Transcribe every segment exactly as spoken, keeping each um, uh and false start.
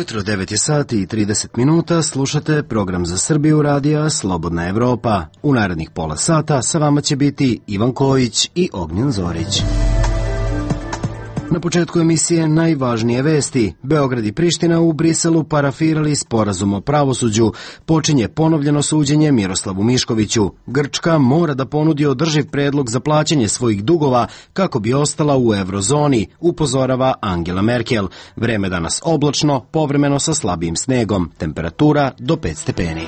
Dobro jutro, devet je sati i trideset minuta, slušate program za Srbiju radija Slobodna Evropa. U narednih pola sata sa vama će biti Ivan Kojić i Ognjen Zorić. Na početku emisije najvažnije vesti. Beograd i Priština u Briselu parafirali sporazum o pravosuđu. Počinje ponovljeno suđenje Miroslavu Miškoviću. Grčka mora da ponudi održiv predlog za plaćanje svojih dugova kako bi ostala u eurozoni, upozorava Angela Merkel. Vreme danas oblačno, povremeno sa slabijim snegom. Temperatura do pet stepeni.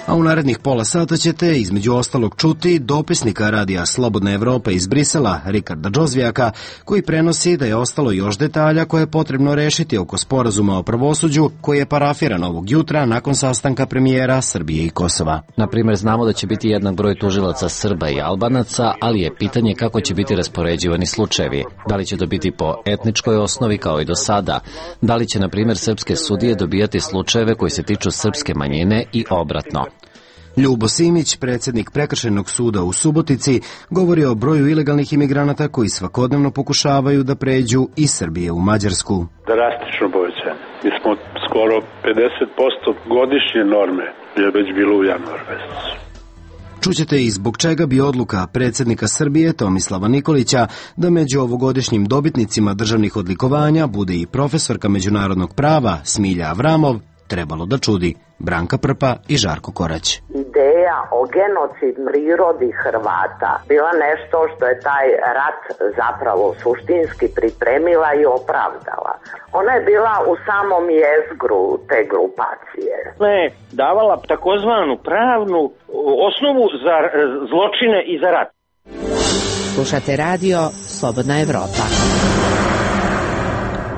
A u narednih pola sata ćete između ostalog čuti dopisnika radija Slobodna Evropa iz Brisela, Rikarda Džozvijaka, koji prenosi da je ostalo još detalja koje je potrebno rešiti oko sporazuma o pravosuđu koji je parafiran ovog jutra nakon sastanka premijera Srbije i Kosova. Na primjer, znamo da će biti jednak broj tužilaca Srba i Albanaca, ali je pitanje kako će biti raspoređivani slučajevi. Da li će to biti po etničkoj osnovi kao i do sada? Da li će, na primjer, srpske sudije dobijati slučajeve koji se tiču srpske manjine i obratno? Ljubo Simić, predsjednik Prekršajnog suda u Subotici, govori o broju ilegalnih imigranata koji svakodnevno pokušavaju da pređu iz Srbije u Mađarsku. Drastično povećanje. Mi smo skoro pedeset posto godišnje norme je već bilo u januaru mesecu. Čućete i zbog čega bi odluka predsjednika Srbije Tomislava Nikolića da među ovogodišnjim dobitnicima državnih odlikovanja bude i profesorka međunarodnog prava Smilja Avramov trebalo da čudi. Branka Prpa i Žarko Korać. Ideja o genocid prirodi Hrvata bila nešto što je taj rat zapravo suštinski pripremila i opravdala. Ona je bila u samom jezgru te grupacije. Ne, davala takozvanu pravnu osnovu za zločine i za rat. Slušate radio Slobodna Evropa.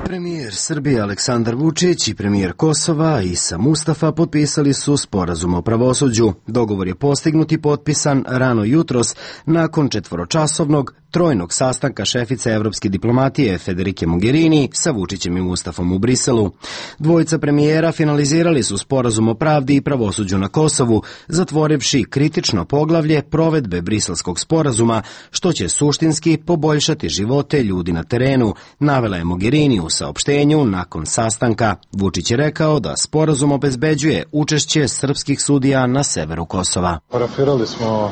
Premijer Srbije Aleksandar Vučić i premijer Kosova Isa Mustafa potpisali su sporazum o pravosuđu. Dogovor je postignut i potpisan rano jutros nakon četvoročasovnog trojnog sastanka šefice evropske diplomatije Federike Mogherini sa Vučićem i Mustafom u Briselu. Dvojica premijera finalizirali su sporazum o pravdi i pravosuđu na Kosovu, zatvorivši kritično poglavlje provedbe briselskog sporazuma, što će suštinski poboljšati živote ljudi na terenu, navela je Mogherini u saopštenju nakon sastanka. Vučić je rekao da sporazum obezbeđuje učešće srpskih sudija na severu Kosova. Parafirali smo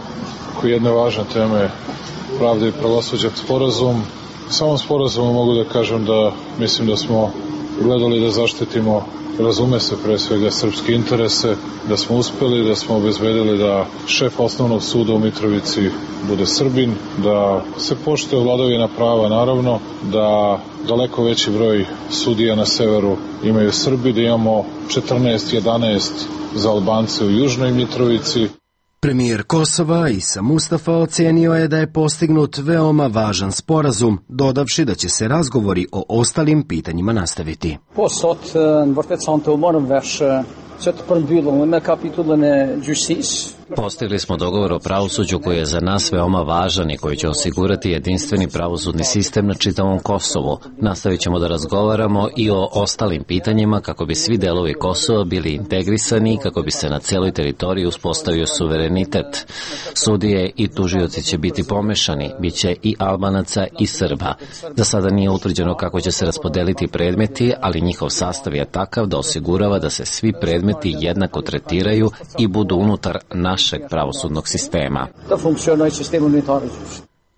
oko jedne važne teme pravde i pravosuđa sporazum. Samom sporazumu mogu da kažem da mislim da smo gledali da zaštitimo, razume se pre svega, srpske interese, da smo uspeli, da smo obezbedili da šef osnovnog suda u Mitrovici bude Srbin, da se poštuje vladavina prava naravno, da daleko veći broj sudija na severu imaju Srbi, da imamo četrnaest jedanaest za Albance u Južnoj Mitrovici. Premijer Kosova Isa Mustafa ocenio je da je postignut veoma važan sporazum, dodavši da će se razgovori o ostalim pitanjima nastaviti. Postigli smo dogovor o pravosuđu koji je za nas veoma važan i koji će osigurati jedinstveni pravosudni sistem na čitavom Kosovu. Nastavit ćemo da razgovaramo i o ostalim pitanjima kako bi svi delovi Kosova bili integrisani i kako bi se na celoj teritoriji uspostavio suverenitet. Sudije i tužioci će biti pomešani, bit će i Albanaca i Srba. Za sada nije utvrđeno kako će se raspodeliti predmeti, ali njihov sastav je takav da osigurava da se svi predmeti jednako tretiraju i budu unutar našeg pravosudnog sistema.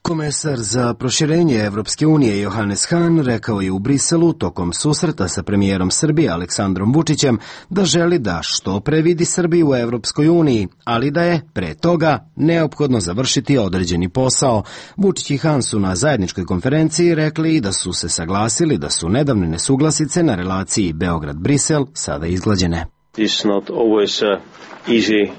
Komesar za proširenje Evropske unije Johannes Hahn rekao je u Briselu tokom susreta sa premijerom Srbije Aleksandrom Vučićem da želi da što pre vidi Srbiju u Evropskoj uniji, ali da je pre toga neophodno završiti određeni posao. Vučić i Hahn su na zajedničkoj konferenciji rekli da su se saglasili da su nedavne nesuglasice na relaciji Beograd-Brisel sada izglađene. It's not always uh, easy.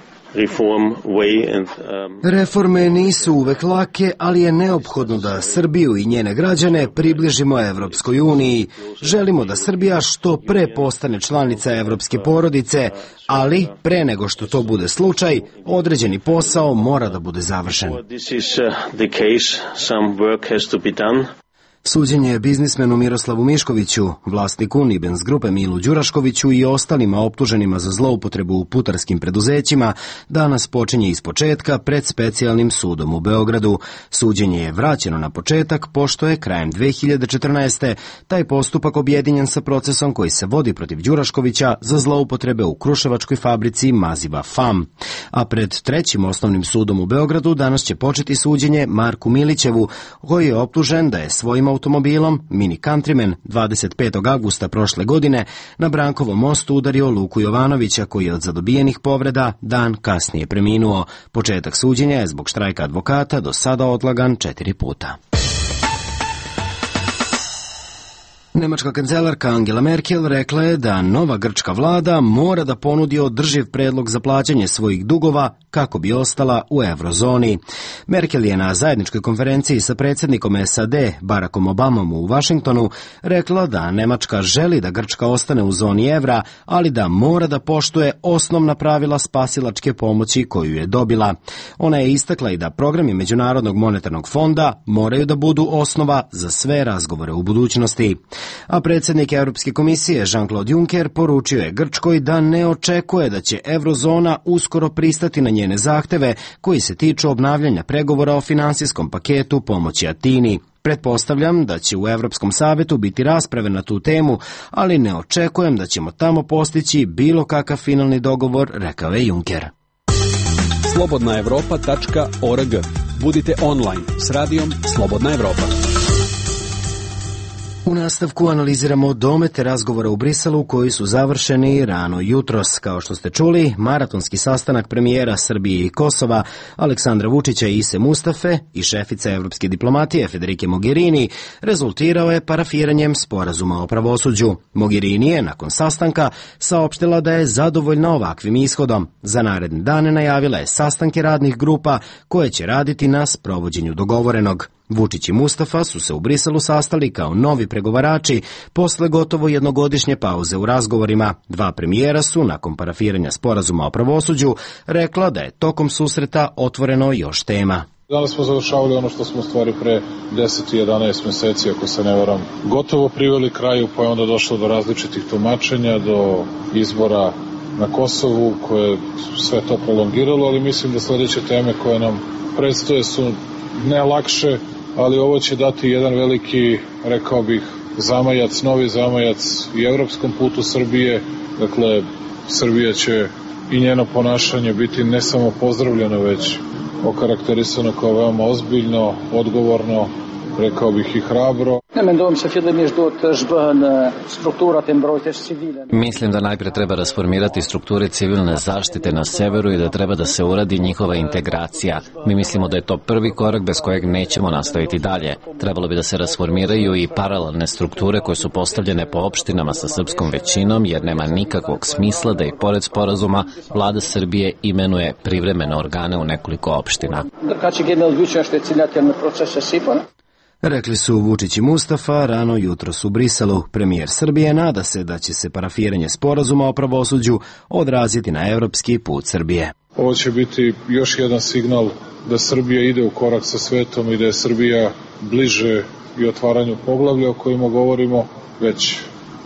Reforme nisu uvek lake, ali je neophodno da Srbiju i njene građane približimo Evropskoj uniji. Želimo da Srbija što pre postane članica evropske porodice, ali pre nego što to bude slučaj, određeni posao mora da bude završen. Suđenje biznismenu Miroslavu Miškoviću, vlasniku Nibens grupe Milu Đuraškoviću i ostalima optuženima za zloupotrebu u putarskim preduzećima danas počinje ispočetka pred specijalnim sudom u Beogradu. Suđenje je vraćeno na početak pošto je krajem dve hiljade četrnaeste. taj postupak objedinjen sa procesom koji se vodi protiv Đuraškovića za zloupotrebe u kruševačkoj fabrici maziva F A M. A pred trećim osnovnim sudom u Beogradu danas će početi suđenje Marku Milićevu, koji je optužen da je svojim automobilom Mini Countryman dvadeset petog avgusta prošle godine na Brankovom mostu udario Luku Jovanovića, koji je od zadobijenih povreda dan kasnije preminuo. Početak suđenja je zbog štrajka advokata do sada odlagan četiri puta. Nemačka kancelarka Angela Merkel rekla je da nova grčka vlada mora da ponudi održiv predlog za plaćanje svojih dugova kako bi ostala u eurozoni. Merkel je na zajedničkoj konferenciji sa predsjednikom S A D Barackom Obamom u Vašingtonu rekla da Nemačka želi da Grčka ostane u zoni evra, ali da mora da poštuje osnovna pravila spasilačke pomoći koju je dobila. Ona je istakla i da programi Međunarodnog monetarnog fonda moraju da budu osnova za sve razgovore u budućnosti. A predsjednik Europske komisije Jean-Claude Juncker poručio je Grčkoj da ne očekuje da će eurozona uskoro pristati na njene zahteve koji se tiču obnavljanja pregovora o finansijskom paketu pomoći Atini. Pretpostavljam da će u Evropskom savetu biti rasprave na tu temu, ali ne očekujem da ćemo tamo postići bilo kakav finalni dogovor, rekao je Juncker. slobodna evropa tačka org. Budite online s radijom Slobodna Evropa. U nastavku analiziramo domete razgovora u Briselu koji su završeni rano jutros. Kao što ste čuli, maratonski sastanak premijera Srbije i Kosova Aleksandra Vučića i Ise Mustafe i šefice evropske diplomatije Federike Mogherini rezultirao je parafiranjem sporazuma o pravosuđu. Mogherini je nakon sastanka saopštila da je zadovoljna ovakvim ishodom. Za naredne dane najavila je sastanke radnih grupa koje će raditi na sprovođenju dogovorenog. Vučić i Mustafa su se u Briselu sastali kao novi pregovarači posle gotovo jednogodišnje pauze u razgovorima. Dva premijera su, nakon parafiranja sporazuma o pravosuđu, rekla da je tokom susreta otvoreno još tema. Danas smo završavali ono što smo stvari pre deset i jedanaest meseci, ako se ne varam, gotovo priveli kraju, pa je onda došlo do različitih tumačenja, do izbora na Kosovu, koje sve to prolongiralo, ali mislim da sledeće teme koje nam predstoje su ne lakše, ali ovo će dati jedan veliki, rekao bih, zamajac, novi zamajac i evropskom putu Srbije. Dakle, Srbija će i njeno ponašanje biti ne samo pozdravljeno, već okarakterisano kao veoma ozbiljno, odgovorno, rekao bih i hrabro. Mislim da najpre treba rasformirati strukture civilne zaštite na severu i da treba da se uradi njihova integracija. Mi mislimo da je to prvi korak bez kojeg nećemo nastaviti dalje. Trebalo bi da se rasformiraju i paralelne strukture koje su postavljene po opštinama sa srpskom većinom, jer nema nikakvog smisla da i pored sporazuma vlada Srbije imenuje privremene organe u nekoliko opština. Rekli su Vučić i Mustafa rano jutros u Briselu. Premijer Srbije nada se da će se parafiranje sporazuma o pravosuđu odraziti na evropski put Srbije. Ovo će biti još jedan signal da Srbija ide u korak sa svetom i da je Srbija bliže i otvaranju poglavlja o kojima govorimo već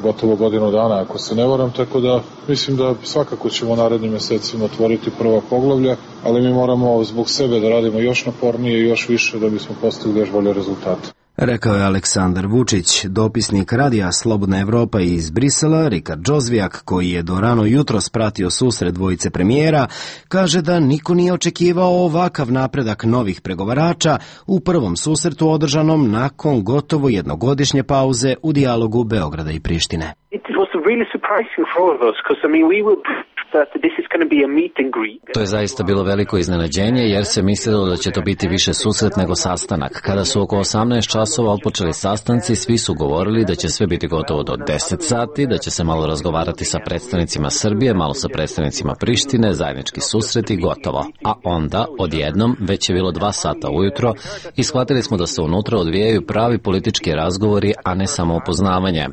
gotovo godinu dana, ako se ne varam, tako da mislim da svakako ćemo narednim mesecima otvoriti prva poglavlja, ali mi moramo zbog sebe da radimo još napornije i još više da bismo postigli još bolje rezultate. Rekao je Aleksandar Vučić. Dopisnik radija Slobodna Evropa iz Brisela, Rikard Džozvijak, koji je do rano jutros pratio susret dvojice premijera, kaže da niko nije očekivao ovakav napredak novih pregovarača u prvom susretu održanom nakon gotovo jednogodišnje pauze u dijalogu Beograda i Prištine. To je zaista bilo veliko iznenađenje jer se mislilo da će to biti više susret nego sastanak. Kada su oko osamnaest časova otpočeli sastanci, svi su govorili da će sve biti gotovo do deset sati, da će se malo razgovarati sa predstavnicima Srbije, malo sa predstavnicima Prištine, zajednički susret i gotovo. A onda, odjednom, već je bilo dva sata ujutro i shvatili smo da se unutra odvijaju pravi politički razgovori, a ne samo upoznavanje.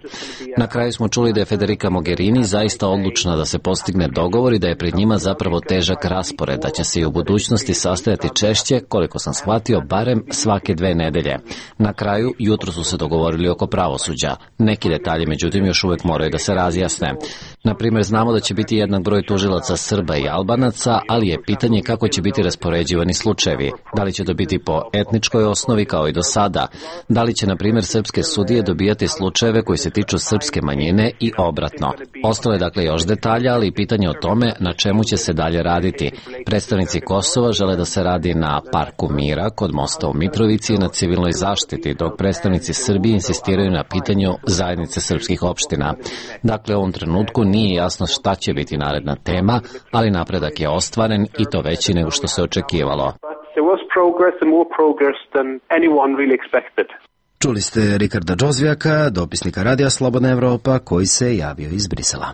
Na kraju smo čuli da je Federica Mogherini zaista odlučna da se postigne dogovor dogovor i da je pred njima zapravo težak raspored, da će se i u budućnosti sastajati češće, koliko sam shvatio, barem svake dve nedelje. Na kraju, jutro su se dogovorili oko pravosuđa. Neki detalji, međutim, još uvek moraju da se razjasne. Na primjer, znamo da će biti jednak broj tužilaca Srba i Albanaca, ali je pitanje kako će biti raspoređivani slučajevi. Da li će to biti po etničkoj osnovi kao i do sada? Da li će, na primjer, srpske sudije dobijati slučajeve koji se tiču srpske manjine i obratno? Ostalo je dakle još detalja, ali i pitanje o tome na čemu će se dalje raditi. Predstavnici Kosova žele da se radi na Parku mira kod mosta u Mitrovici i na civilnoj zaštiti, dok predstavnici Srbije insistiraju na pitanju zajednice srpskih opština. Dakle, u ovom trenutku nije jasno šta će biti naredna tema, ali napredak je ostvaren i to veći nego što se očekivalo. Čuli ste Rikarda Džozvijaka, dopisnika Radija Slobodna Evropa, koji se javio iz Brisela.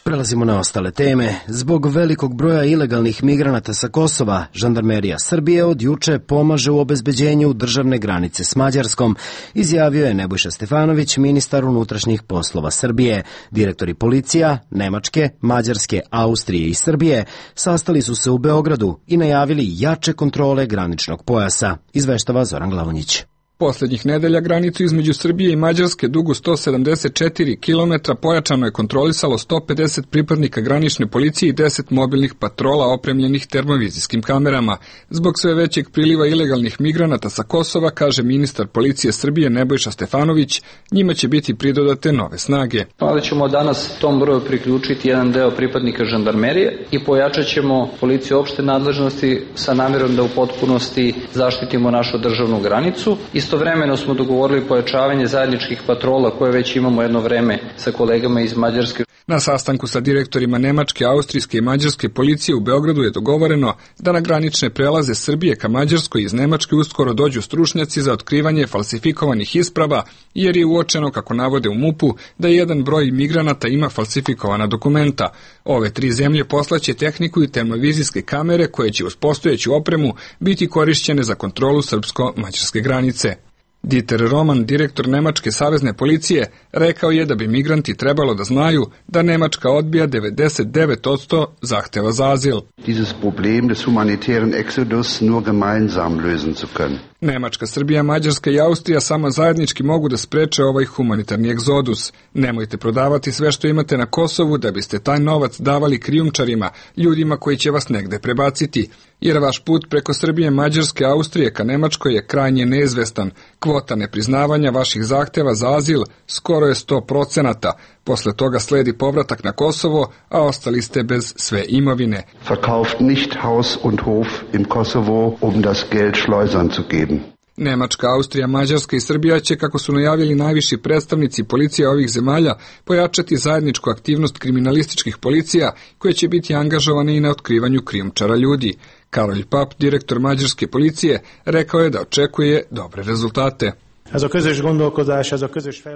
Prelazimo na ostale teme. Zbog velikog broja ilegalnih migranata sa Kosova, žandarmerija Srbije od juče pomaže u obezbeđenju državne granice s Mađarskom, izjavio je Nebojša Stefanović, ministar unutrašnjih poslova Srbije. Direktori policija, Nemačke, Mađarske, Austrije i Srbije sastali su se u Beogradu i najavili jače kontrole graničnog pojasa, izveštava Zoran Glavonjić. Poslednjih nedelja granicu između Srbije i Mađarske dugu sto sedamdeset četiri kilometra pojačano je kontrolisalo sto pedeset pripadnika granične policije i deset mobilnih patrola opremljenih termovizijskim kamerama. Zbog sve većeg priliva ilegalnih migranata sa Kosova, kaže ministar policije Srbije Nebojša Stefanović, njima će biti pridodate nove snage. Ali ćemo danas tom broju priključiti jedan deo pripadnika žandarmerije i pojačat ćemo policiju opšte nadležnosti sa namjerom da u potpunosti zaštitimo našu državnu granicu. Istovremeno smo dogovorili pojačavanje zajedničkih patrola koje već imamo jedno vreme sa kolegama iz Mađarske. Na sastanku sa direktorima Nemačke, Austrijske i Mađarske policije u Beogradu je dogovoreno da na granične prelaze Srbije ka Mađarskoj iz Nemačke uskoro dođu stručnjaci za otkrivanje falsifikovanih isprava, jer je uočeno, kako navode u MUP-u, da jedan broj migranata ima falsifikovana dokumenta. Ove tri zemlje poslaće tehniku i termovizijske kamere koje će uz postojeću opremu biti korišćene za kontrolu srpsko-mađarske granice. Dieter Roman, direktor Nemačke savezne policije, rekao je da bi migranti trebalo da znaju da Nemačka odbija devedeset devet posto zahteva za azil. Dieses Problem des humanitären Exodus nur gemeinsam lösen zu können. Nemačka, Srbija, Mađarska i Austrija samo zajednički mogu da spreče ovaj humanitarni egzodus. Nemojte prodavati sve što imate na Kosovu da biste taj novac davali krijumčarima, ljudima koji će vas negde prebaciti, jer vaš put preko Srbije, Mađarske, Austrije ka Nemačkoj je krajnje neizvestan. Kvota nepriznavanja vaših zahteva za azil skoro je sto procenata. Posle toga sledi povratak na Kosovo, a ostali ste bez sve imovine. Verkauft nicht Haus und Hof im Kosovo, um das Geld Schleusern zu geben. Nemačka, Austrija, Mađarska i Srbija će, kako su najavili najviši predstavnici policije ovih zemalja, pojačati zajedničku aktivnost kriminalističkih policija koje će biti angažovane i na otkrivanju krijumčara ljudi. Karolj Pap, direktor mađarske policije, rekao je da očekuje dobre rezultate.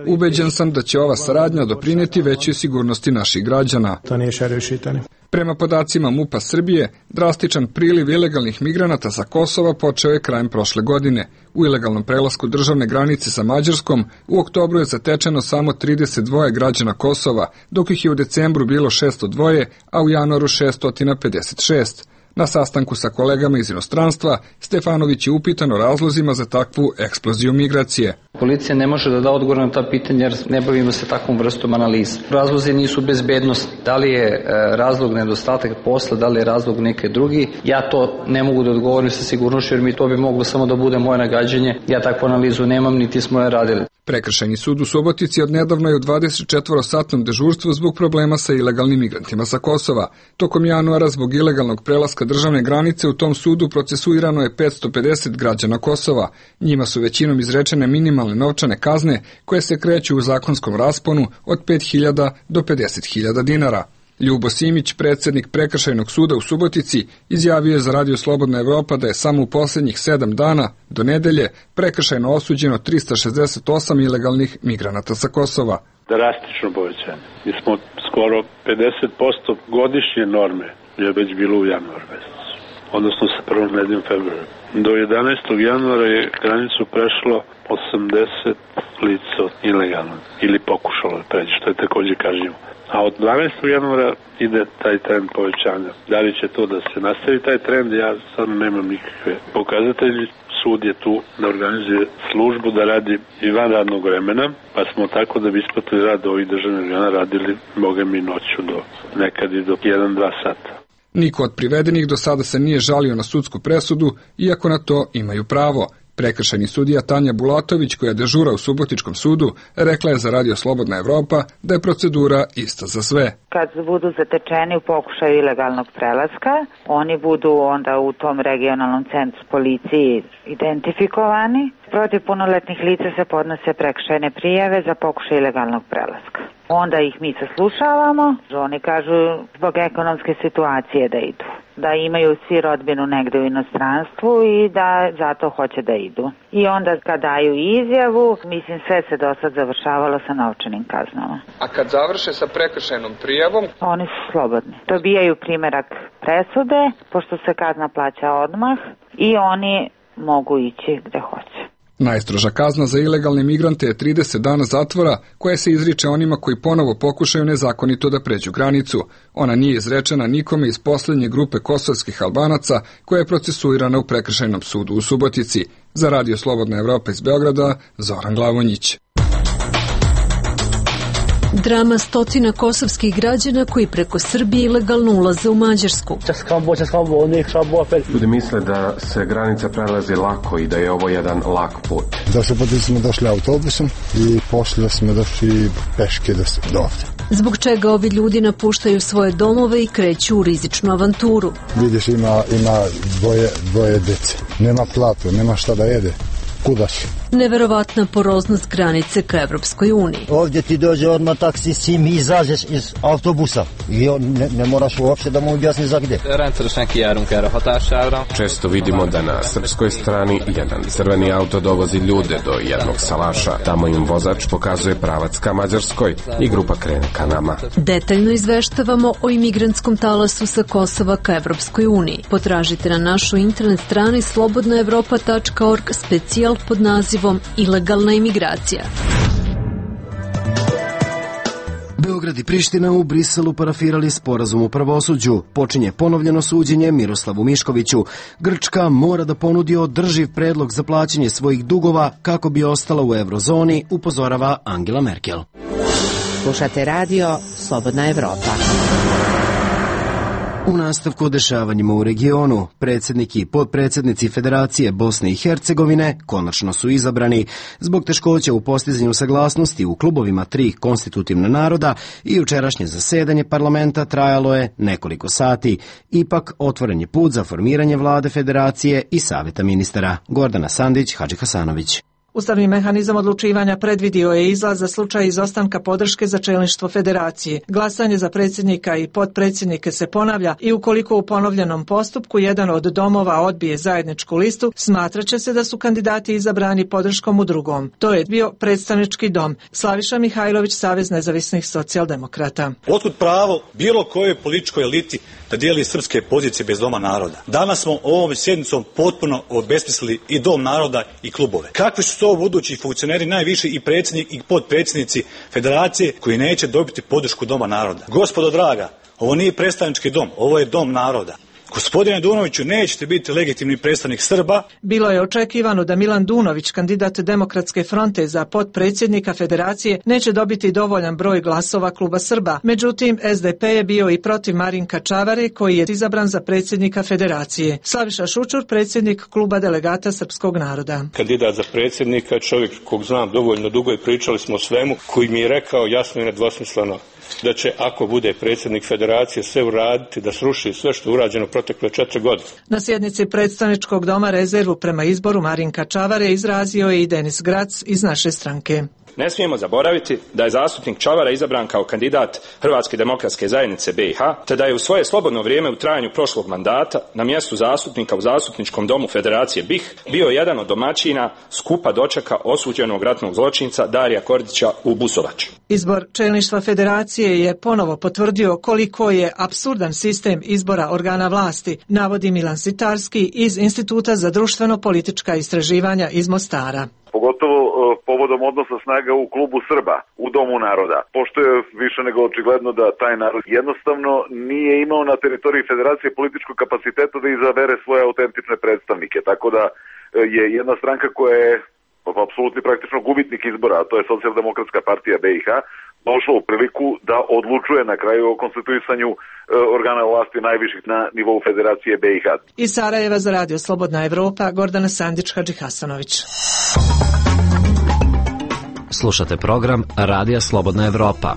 Ubeđen sam da će ova saradnja doprineti većoj sigurnosti naših građana. Prema podacima MUP-a Srbije, drastičan priliv ilegalnih migranata sa Kosova počeo je krajem prošle godine. U ilegalnom prelasku državne granice sa Mađarskom u oktobru je zatečeno samo trideset dva građana Kosova, dok ih je u decembru bilo šesto dva, a u januaru šesto pedeset šest. Na sastanku sa kolegama iz inostranstva, Stefanović je upitan o razlozima za takvu eksploziju migracije. Policija ne može da da odgovor na ta pitanja jer ne bavimo se takvom vrstom analiza. Razlozi nisu bezbednosti. Da li je razlog nedostatak posla, da li je razlog neke drugi, ja to ne mogu da odgovorim sa sigurnošću jer mi to bi moglo samo da bude moje nagađanje. Ja takvu analizu nemam, niti smo je radili. Prekršajni sud u Subotici odnedavno je u dvadesetčetvorosatnom dežurstvu zbog problema sa ilegalnim migrantima sa Kosova. Tokom januara zbog ilegalnog prelaska državne granice u tom sudu procesuirano je petsto pedeset građana Kosova. Njima su većinom izrečene minimalne novčane kazne koje se kreću u zakonskom rasponu od pet hiljada do pedeset hiljada dinara. Ljubo Simić, predsjednik Prekršajnog suda u Subotici, izjavio je za Radio Slobodna Evropa da je samo u posljednjih sedam dana do nedelje prekršajno osuđeno trista šezdeset osam ilegalnih migranata sa Kosova. Drastično povećanje. Mi smo skoro pedeset posto godišnje norme je već bilo u januaru mesecu. odnosno sa prvom nedeljom februara. Do jedanaestog januara je granicu prešlo osamdeset lica ilegalno ili pokušalo da pređe, što je takođe kažnjivo. A od dvanaestog januara ide taj trend povećanja. Da li će to da se nastavi taj trend, ja sad nemam nikakve pokazatelje. Sud je tu da organizuje službu da radi i van radnog vremena, pa smo tako da bi isplatili rad ovih državnih organa radili boga mi noću do nekad i do jedan dva sata. Niko od privedenih do sada se nije žalio na sudsku presudu, iako na to imaju pravo. Prekršajni sudija Tanja Bulatović, koja dežura u Subotičkom sudu, rekla je za Radio Slobodna Evropa da je procedura ista za sve. Kad budu zatečeni u pokušaju ilegalnog prelaska, oni budu onda u tom regionalnom centru policiji identifikovani. Protiv punoletnih lica se podnose prekršajne prijave za pokušaj ilegalnog prelaska. Onda ih mi saslušavamo, oni kažu zbog ekonomske situacije da idu, da imaju svi rodbinu negde u inostranstvu i da zato hoće da idu. I onda kad daju izjavu, mislim sve se do sad završavalo sa novčanim kaznama. A kad završe sa prekršajnom prijavom? Oni su slobodni. Dobijaju primerak presude, pošto se kazna plaća odmah i oni mogu ići gde hoće. Najstroža kazna za ilegalne migrante je trideset dana zatvora, koja se izriče onima koji ponovo pokušaju nezakonito da pređu granicu. Ona nije izrečena nikome iz poslednje grupe kosovskih Albanaca, koja je procesuirana u Prekršajnom sudu u Subotici. Za Radio Slobodna Evropa iz Beograda, Zoran Glavonjić. Drama stotina kosovskih građana koji preko Srbije ilegalno ulaze u Mađarsku. Ljudi misle da se granica prelazi lako i da je ovo jedan lak put. Došli put smo došli autobusom i poslije smo došli peške do ovde. Zbog čega ovi ljudi napuštaju svoje domove i kreću u rizičnu avanturu. Vidiš, ima, ima dvoje, dvoje dece. Nema platu, nema šta da jede. Kuda će? Neverovatna poroznost granice ka Evropskoj uniji. Ovdje ti dođe odmah taksi, sim i izađeš iz autobusa i ne, ne moraš uopšte da mu objasni za gde. Često vidimo da na srpskoj strani jedan crveni auto dovozi ljude do jednog salaša. Tamo im vozač pokazuje pravac ka Mađarskoj i grupa krene ka nama. Detaljno izveštavamo o imigrantskom talasu sa Kosova ka Evropskoj uniji. Potražite na našoj internet strani slobodna evropa tačka org specijal pod nazivom Ilegalna imigracija. Beograd i Priština u Briselu parafirali sporazum o pravosuđu. Počinje ponovljeno suđenje Miroslavu Miškoviću. Grčka mora da ponudi održiv predlog za plaćanje svojih dugova kako bi ostala u eurozoni, upozorava Angela Merkel. Slušate radio Slobodna Evropa. U nastavku o dešavanjima u regionu, predsjednik i potpredsjednici Federacije Bosne i Hercegovine konačno su izabrani. Zbog teškoća u postizanju saglasnosti u klubovima tri konstitutivna naroda i jučerašnje zasedanje parlamenta trajalo je nekoliko sati. Ipak otvoren je put za formiranje vlade Federacije i savjeta ministara. Gordana Sandić, Hadži Hasanović. Ustavni mehanizam odlučivanja predvidio je izlaz za slučaj izostanka podrške za čelništvo federacije. Glasanje za predsjednika i potpredsjednike se ponavlja i ukoliko u ponovljenom postupku jedan od domova odbije zajedničku listu, smatraće se da su kandidati izabrani podrškom u drugom. To je bio predstavnički dom. Slaviša Mihajlović, Savez nezavisnih socijaldemokrata. Otkud pravo bilo kojoj političkoj eliti da dijeli srpske pozicije bez doma naroda? Danas smo ovom sjednicom potpuno obesmislili i dom naroda i klubove. Kakvi su to budući funkcioneri najviši i predsjednik i potpredsjednici federacije koji neće dobiti podršku doma naroda? Gospodo draga, ovo nije predstavnički dom, ovo je dom naroda. Gospodine Dunoviću, nećete biti legitimni predstavnik Srba. Bilo je očekivano da Milan Dunović, kandidat Demokratske fronte za potpredsjednika federacije, neće dobiti dovoljan broj glasova kluba Srba. Međutim, es de pe je bio i protiv Marinka Čavare, koji je izabran za predsjednika federacije. Slaviša Šučur, predsjednik kluba delegata srpskog naroda. Kandidat za predsjednika, čovjek kog znam dovoljno dugo i pričali smo o svemu, koji mi je rekao jasno i nedvosmisleno da će, ako bude predsjednik federacije, sve uraditi da sruši sve što je urađeno protekle četiri godine. Na sjednici predstavničkog doma rezervu prema izboru Marinka Čavare izrazio je i Denis Grac iz naše stranke. Ne smijemo zaboraviti da je zastupnik Čavara izabran kao kandidat Hrvatske demokratske zajednice be i ha, te da je u svoje slobodno vrijeme u trajanju prošlog mandata na mjestu zastupnika u zastupničkom domu Federacije be i ha bio jedan od domaćina skupa dočeka osuđenog ratnog zločinca Darija Kordića u Busovači. Izbor čelništva Federacije federacije je ponovo potvrdio koliko je apsurdan sistem izbora organa vlasti, navodi Milan Sitarski iz Instituta za društveno-politička istraživanja iz Mostara. Pogotovo povodom odnosa snaga u klubu Srba, u Domu naroda, pošto je više nego očigledno da taj narod jednostavno nije imao na teritoriji federacije političkog kapaciteta da izabere svoje autentične predstavnike, tako da je jedna stranka koja je apsolutni praktično gubitnik izbora, a to je Socijaldemokratska partija B i H, došla u priliku da odlučuje na kraju o konstituisanju organa vlasti najviših na nivou Federacije B i H. Iz Sarajeva za radio Slobodna Evropa, Gordana Sandić, Hadži Hasanović. Slušate program Radija Slobodna Evropa.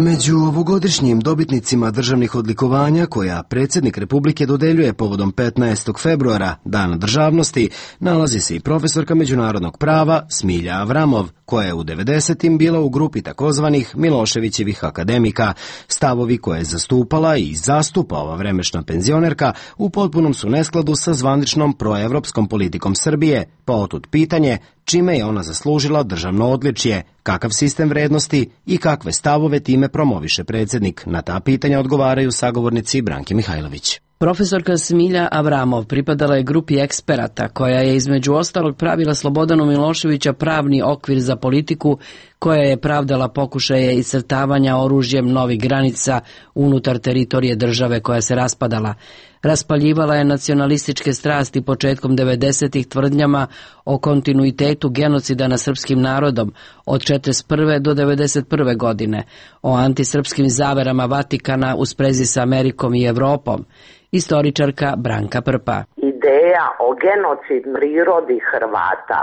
Među ovogodišnjim dobitnicima državnih odlikovanja koja predsjednik Republike dodeljuje povodom petnaestog februara, Dana državnosti, nalazi se i profesorka međunarodnog prava Smilja Avramov, koja je u devedesetim bila u grupi takozvanih Miloševićevih akademika. Stavovi koje je zastupala i zastupa ova vremešna penzionerka u potpunom su neskladu sa zvaničnom proevropskom politikom Srbije, pa otud pitanje čime je ona zaslužila državno odličje, kakav sistem vrednosti i kakve stavove time promoviše predsjednik. Na ta pitanja odgovaraju sagovornici Branki Mihajlović. Profesorka Smilja Avramov pripadala je grupi eksperata koja je između ostalog pravila Slobodanu Miloševića pravni okvir za politiku koja je pravdala pokušaje iscrtavanja oružjem novih granica unutar teritorije države koja se raspadala. Raspaljivala je nacionalističke strasti početkom devedesetih tvrdnjama o kontinuitetu genocida nad srpskim narodom od četrdeset prve do devedeset prve godine, o antisrpskim zaverama Vatikana u sprezi sa Amerikom i Evropom. Istoričarka Branka Prpa. Ideja o genocid prirodi Hrvata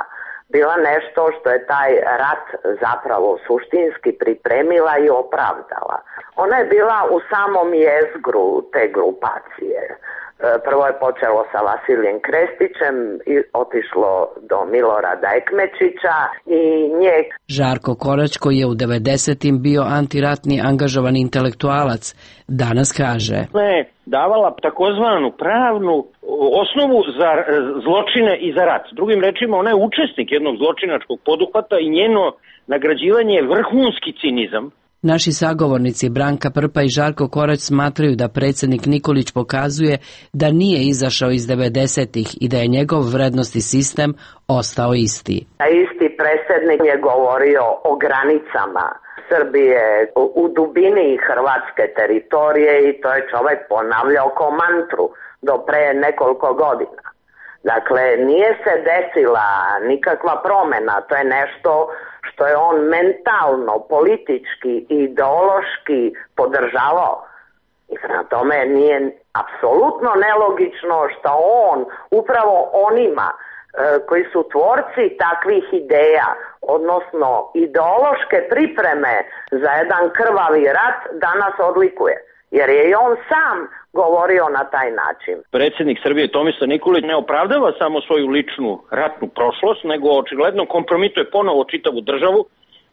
bila nešto što je taj rat zapravo suštinski pripremila i opravdala. Ona je bila u samom jezgru te grupacije. Prvo je počelo sa Vasilijem Krestićem i otišlo do Milorada Ekmečića i nje. Žarko Korać, koji je u devedesetim bio antiratni angažovan intelektualac, danas kaže: Ne, davala takozvanu pravnu osnovu za zločine i za rat. Drugim rečima, ona je učesnik jednog zločinačkog poduhvata i njeno nagrađivanje je vrhunski cinizam. Naši sagovornici Branka Prpa i Žarko Korać smatraju da predsjednik Nikolić pokazuje da nije izašao iz devedesetih i da je njegov vrednosti sistem ostao isti. Isti predsjednik je govorio o granicama Srbije u dubini hrvatske teritorije i to je čovjek ponavljao kao mantru do pre nekoliko godina. Dakle, nije se desila nikakva promjena, to je nešto što je on mentalno, politički i ideološki podržavao. I na tome nije apsolutno nelogično što on upravo onima e, koji su tvorci takvih ideja, odnosno ideološke pripreme za jedan krvavi rat, danas odlikuje. Jer je i on sam govorio na taj način. Predsjednik Srbije Tomislav Nikolić ne opravdava samo svoju ličnu ratnu prošlost, nego očigledno kompromituje ponovo čitavu državu,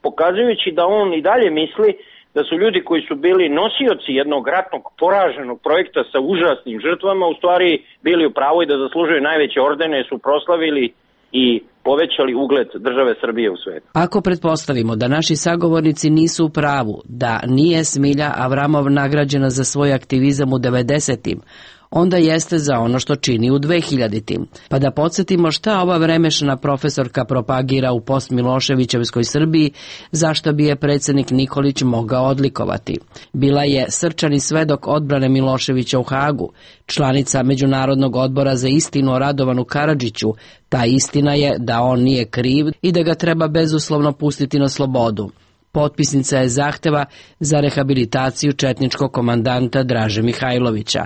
pokazujući da on i dalje misli da su ljudi koji su bili nosioci jednog ratnog poraženog projekta sa užasnim žrtvama u stvari bili u pravu i da zaslužuju najveće ordene, su proslavili i povećali ugled države Srbije u svijetu. Ako pretpostavimo da naši sagovornici nisu u pravu, da nije Smilja Avramov nagrađena za svoj aktivizam u devedesetim, onda jeste za ono što čini u dvehiljaditim. Pa da podsjetimo šta ova vremešna profesorka propagira u post-Miloševićevskoj Srbiji, zašto bi je predsjednik Nikolić mogao odlikovati. Bila je srčani svedok odbrane Miloševića u Hagu, članica Međunarodnog odbora za istinu o Radovanu Karadžiću. Ta istina je da on nije kriv i da ga treba bezuslovno pustiti na slobodu. Potpisnica je zahteva za rehabilitaciju četničkog komandanta Draže Mihajlovića.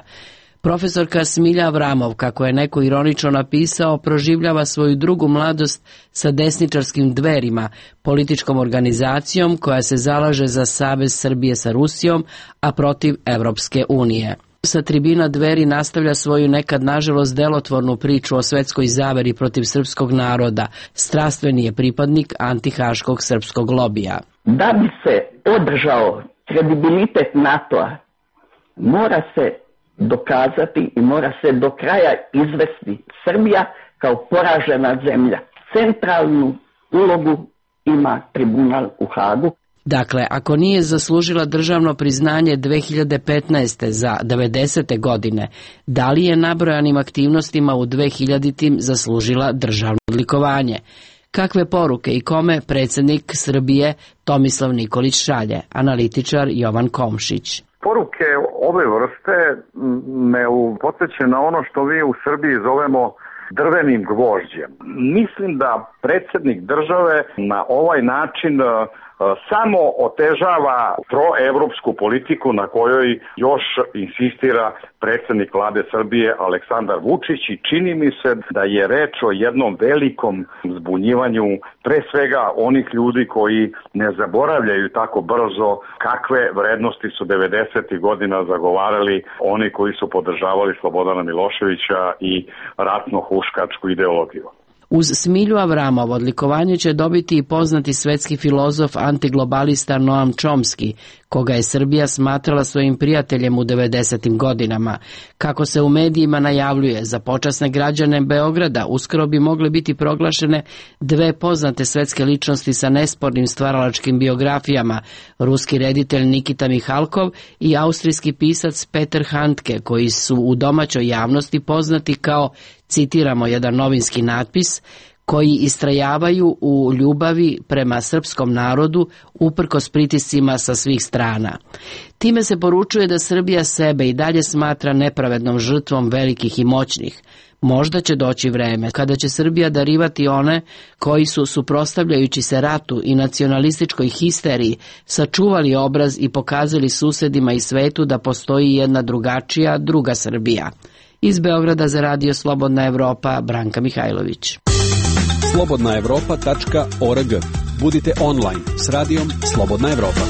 Profesorka Smilja Avramov, kako je neko ironično napisao, proživljava svoju drugu mladost sa desničarskim Dverima, političkom organizacijom koja se zalaže za savez Srbije sa Rusijom, a protiv Evropske unije. Sa tribina Dveri nastavlja svoju nekad nažalost delotvornu priču o svetskoj zaveri protiv srpskog naroda. Strastveni je pripadnik antihaškog srpskog lobija. Da bi se održao kredibilitet NATO-a, mora se dokazati i mora se do kraja izvesti Srbija kao poražena zemlja. Centralnu ulogu ima tribunal u Hagu. Dakle, ako nije zaslužila državno priznanje dve hiljade petnaeste. za devedesete godine, da li je nabrojanim aktivnostima u dve hiljaditim zaslužila državno odlikovanje? Kakve poruke i kome predsjednik Srbije Tomislav Nikolić šalje? Analitičar Jovan Komšić. Poruke ove vrste me podsjećaju na ono što mi u Srbiji zovemo drvenim gvožđem. Mislim da predsjednik države na ovaj način samo otežava proevropsku politiku na kojoj još insistira predsjednik vlade Srbije Aleksandar Vučić i čini mi se da je reč o jednom velikom zbunjivanju pre svega onih ljudi koji ne zaboravljaju tako brzo kakve vrednosti su devedesetih godina zagovarali oni koji su podržavali Slobodana Miloševića i ratno-huškačku ideologiju. Uz Smilju Avramov odlikovanje će dobiti i poznati svetski filozof antiglobalista Noam Chomsky, koga je Srbija smatrala svojim prijateljem u devedesetim godinama. Kako se u medijima najavljuje, za počasne građane Beograda uskoro bi mogle biti proglašene dve poznate svetske ličnosti sa nespornim stvaralačkim biografijama, ruski reditelj Nikita Mihalkov i austrijski pisac Peter Handke, koji su u domaćoj javnosti poznati kao, citiramo jedan novinski natpis, koji istrajavaju u ljubavi prema srpskom narodu uprkos pritiscima sa svih strana. Time se poručuje da Srbija sebe i dalje smatra nepravednom žrtvom velikih i moćnih. Možda će doći vreme kada će Srbija darivati one koji su, suprotstavljajući se ratu i nacionalističkoj histeriji, sačuvali obraz i pokazali susedima i svetu da postoji jedna drugačija, druga Srbija. Iz Beograda za radio Slobodna Evropa, Branka Mihajlović. slobodna evropa tačka org. Budite online s radijom Slobodna Evropa.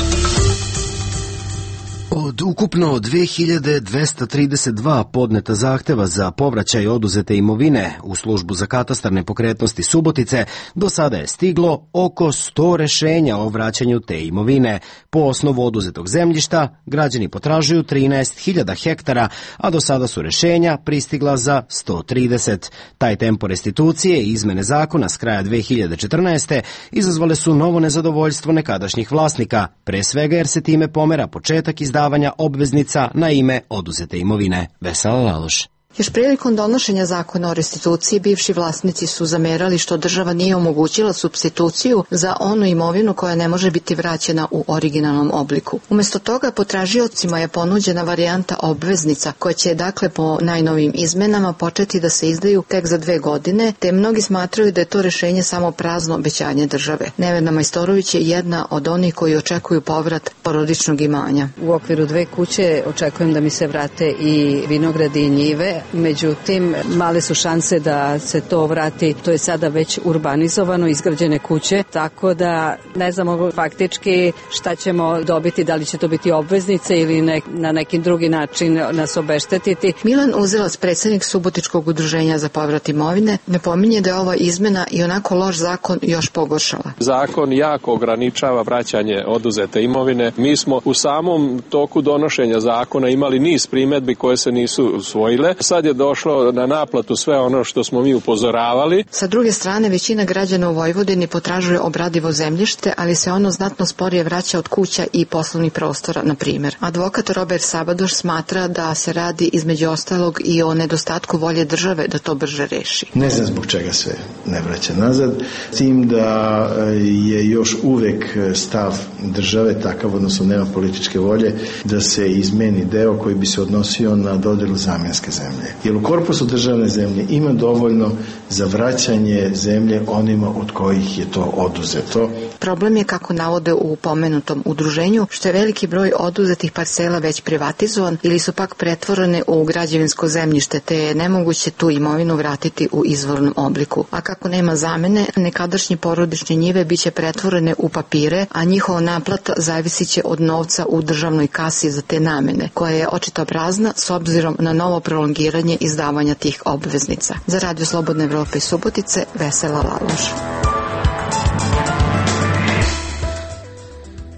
Od ukupno dve hiljade dvesta trideset dva podneta zahteva za povraćaj oduzete imovine u službu za katastar nepokretnosti Subotice, do sada je stiglo oko sto rešenja o vraćanju te imovine. Po osnovu oduzetog zemljišta, građani potražuju trinaest hiljada hektara, a do sada su rešenja pristigla za sto trideset. Taj tempo restitucije i izmene zakona s kraja dve hiljade četrnaeste. izazvale su novo nezadovoljstvo nekadašnjih vlasnika, pre svega jer se time pomera početak izdavanja obveznica na ime oduzete imovine. Vesela Laloš. Još prilikom donošenja zakona o restituciji, bivši vlasnici su zamerali što država nije omogućila supstituciju za onu imovinu koja ne može biti vraćena u originalnom obliku. Umesto toga, potražiocima je ponuđena varijanta obveznica, koja će dakle po najnovim izmenama početi da se izdaju tek za dve godine, te mnogi smatraju da je to rešenje samo prazno obećanje države. Nevena Majstorović je jedna od onih koji očekuju povrat porodičnog imanja. U okviru dve kuće očekujem da mi se vrate i vinogradi i njive. Međutim, male su šanse da se to vrati. To je sada već urbanizovano, izgrađene kuće, tako da ne znamo faktički šta ćemo dobiti, da li će to biti obveznice ili ne, na neki drugi način nas obeštetiti. Milan Uzelac, predsjednik Subotičkog udruženja za povrat imovine, ne pominje da je ova izmena i onako loš zakon još pogoršala. Zakon jako ograničava vraćanje oduzete imovine. Mi smo u samom toku donošenja zakona imali niz primjedbi koje se nisu usvojile. Sad je došlo na naplatu sve ono što smo mi upozoravali. Sa druge strane, većina građana u Vojvodini potražuje obradivo zemljište, ali se ono znatno sporije vraća od kuća i poslovnih prostora, na primjer. Advokat Robert Sabadoš smatra da se radi između ostalog i o nedostatku volje države da to brže reši. Ne znam zbog čega se ne vraća nazad, s tim da je još uvek stav države takav, odnosno nema političke volje, da se izmeni deo koji bi se odnosio na dodelu zamjenske zemlje. Jer u korpusu državne zemlje ima dovoljno za vraćanje zemlje onima od kojih je to oduzeto. Problem je, kako navode u pomenutom udruženju, što je veliki broj oduzetih parcela već privatizovan ili su pak pretvorene u građevinsko zemljište, te je nemoguće tu imovinu vratiti u izvornom obliku. A kako nema zamene, nekadašnje porodične njive biće pretvorene u papire, a njihova naplata zavisit će od novca u državnoj kasi za te namene, koja je očito prazna s obzirom na novo prolongiranje izdavanja tih obveznica. Za Radio Slobodne Evrope iz Subotice, Vesela Laloš.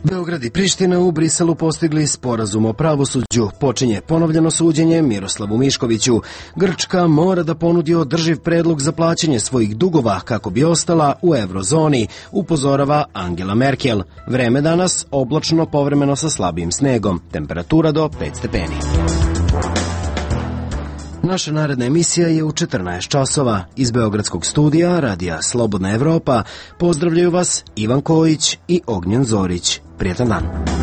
Beograd i Priština u Briselu postigli sporazum o pravosuđu. Počinje ponovljeno suđenje Miroslavu Miškoviću. Grčka mora da ponudi održiv predlog za plaćanje svojih dugova kako bi ostala u eurozoni, upozorava Angela Merkel. Vreme danas oblačno, povremeno sa slabim snegom. Temperatura do pet stepeni. Naša naredna emisija je u četrnaest časova. Iz Beogradskog studija Radija Slobodna Evropa pozdravljaju vas Ivan Kojić i Ognjen Zorić. Prijetan dan.